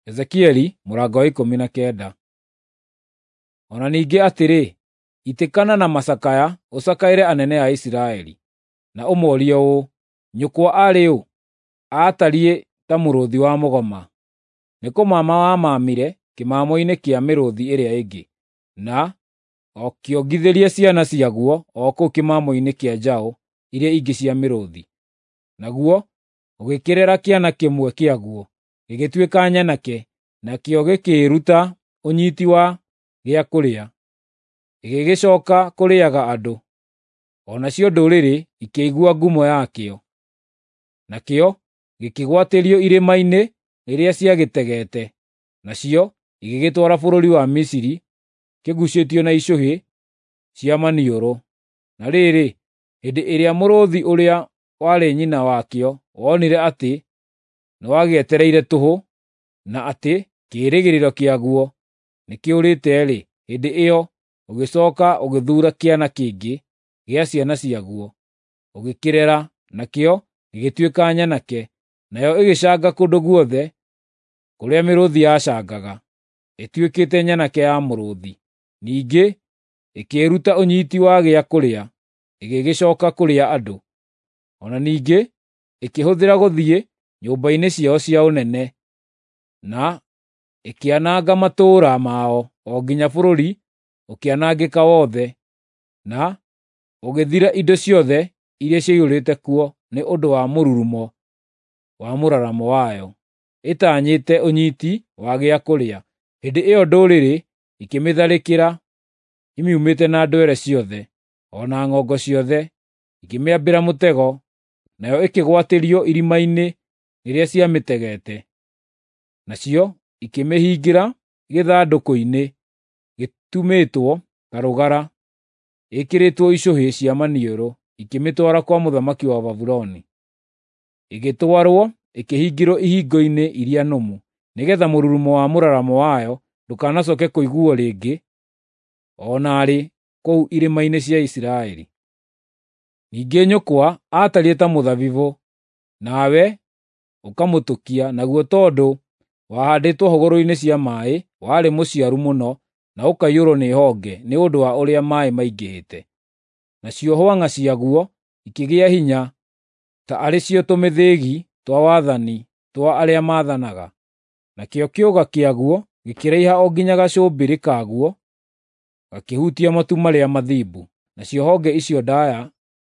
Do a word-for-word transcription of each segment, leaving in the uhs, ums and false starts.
Ezekieli mũrango wa ikũmi na kenda. O na ningĩ atĩrĩ, itĩkana na macakaya ũcakaĩre anene a Isiraeli, na ũmoorie ũũ, ‘Nyũkwa arĩ ũ? Aatariĩ ta mũrũũthi wa mũgoma. Nĩ kũmama wamamire kĩmamo-inĩ kĩa mĩrũũthi ĩrĩa ĩngĩ, na ũkĩongithĩria ciana ciaguo o kũu kĩmamo-inĩ kĩa njaũ iria ingĩ cia mĩrũũthi. Naguo ũgĩkĩrera kĩana kĩmwe kĩaguo, gĩgĩtuĩka nyanake, nakĩo gĩkĩĩruta ũnyiiti wa gĩa kũrĩa, gĩgĩcooka kũrĩĩaga andũ. O nacio ndũrĩrĩ ikĩigua ngumo yakĩo. Nakĩo gĩkĩgwatĩrio irĩma-inĩ rĩrĩa ciagĩtegete, nacio igĩgĩtwara bũrũri wa Misiri kĩguucĩtio na icũhĩ cia maniũrũ. Na rĩrĩ, hĩndĩ ĩrĩa mũrũũthi ũrĩa warĩ nyina wakĩo wonire atĩ nĩwagĩetereire tũhũ, na atĩ kĩĩrĩgĩrĩro kĩaguo nĩkĩũrĩte-rĩ, hĩndĩ ĩyo ũgĩcooka ũgĩthuura kĩana kĩngĩ gĩa ciana ciaguo, ũgĩkĩrera, nakĩo gĩgĩtuĩka nyanake, nayo ĩgĩcanga kũndũ guothe kũrĩa mĩrũũthi yacangaga, ĩtuĩkĩte nyanake ya mũrũũthi. Ningĩ ĩkĩĩruta ũnyiiti wa gĩa kũrĩa, ĩgĩgĩcooka kũrĩa andũ. O na ningĩ ĩkĩhũthĩra gũthiĩ nyũmba-inĩ ciao cia ũnene, na ĩkĩananga matũũra mao o nginya bũrũri ũkĩanangĩka wothe, na ũgĩthira indo ciothe iria ciaiyũrĩte kuo nĩ ũndũ wa mũrurumo wa mũraramo wayo, ĩtanyĩte ũnyiiti wa gĩa kũrĩa. Hĩndĩ ĩyo ndũrĩrĩ ikĩmĩtharĩkĩra imiumĩte na ndwere ciothe, o na ng'ongo ciothe, ikĩmĩambĩra mũtego, nayo ĩkĩgwatĩrio irima-inĩ rĩrĩa ciamĩtegete. Nacio ikĩmĩhingĩra gĩthandũkũ-inĩ gĩtumĩtwo ta rũgara, ĩkĩrĩtwo icũhĩ cia maniũrũ, ikĩmĩtwara kwa mũthamaki wa Babuloni. Ĩgĩtwarwo ĩkĩhingĩrwo ihingo-inĩ iria nũmu, nĩgeetha mũrurumo wa mũraramo wayo ndũkanacooke kũiguuo rĩngĩ o na rĩ kũu irĩma-inĩ cia Isiraeli. Ningĩ nyũkwa aatariĩ ta mũthabibũ, nawe ũkamũtũkia, naguo tondũ wahaandĩtwo hũgũrũrũ-inĩ cia maaĩ, warĩ mũciaru mũno na ũkaiyũrwo nĩ honge nĩ ũndũ wa ũrĩa maaĩ maingĩhĩte. Nacio hwang'a ciaguo ikĩgĩa hinya ta arĩ cio tũmĩthĩgi twa wathani twa arĩa maathanaga. Nakĩo kĩũga kĩaguo gĩkĩraiha o nginya gacũmbĩrĩ kaguo gakĩhutia matu marĩa mathimbu, nacio honge icio ndaaya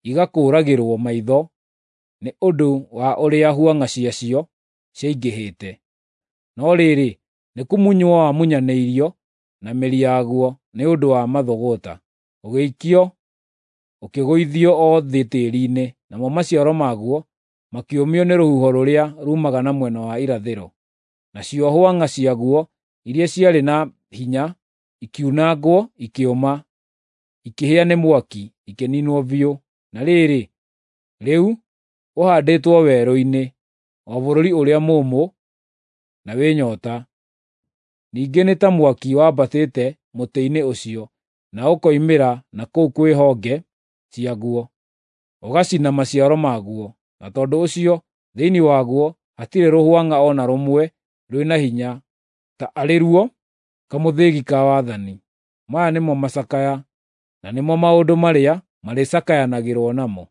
igakũũragĩrwo maitho nĩ ũndũ wa ũrĩa hwang'a ciacio ciaingĩhĩte. No rĩrĩ, nĩkũmunywo wamunyanĩirio na mĩri yaguo nĩ ũndũ wa mathũgũta, ũgĩikio ũkĩgũithio o thĩ tĩĩri-inĩ, namo maciaro maguo makĩũmio nĩ rũhuho rũrĩa ruumaga na mwena wa irathĩro. Nacio hwang'a ciaguo iria ciarĩ na hinya ikiunangwo ikĩũma, ikĩhĩa nĩ mwaki, ikĩniinwo biũ. Na rĩrĩ, rĩu ũhaandĩtwo werũ-inĩ, o bũrũri ũrĩa mũũmũ na wĩ nyoota. Ningĩ nĩ ta mwaki wambatĩte mũtĩ-inĩ ũcio, na ũkoimĩra na kũu kwĩ honge ciaguo, ũgacina maciaro maguo, na tondũ ũcio thĩinĩ waguo hatirĩ rũhwang'a o na rũmwe rwĩna hinya ta arĩ ruo kamũthĩgi ka wathani. Maya nĩmo macakaya, na nĩmo maũndũ marĩa marĩcakayanagĩrwo namo.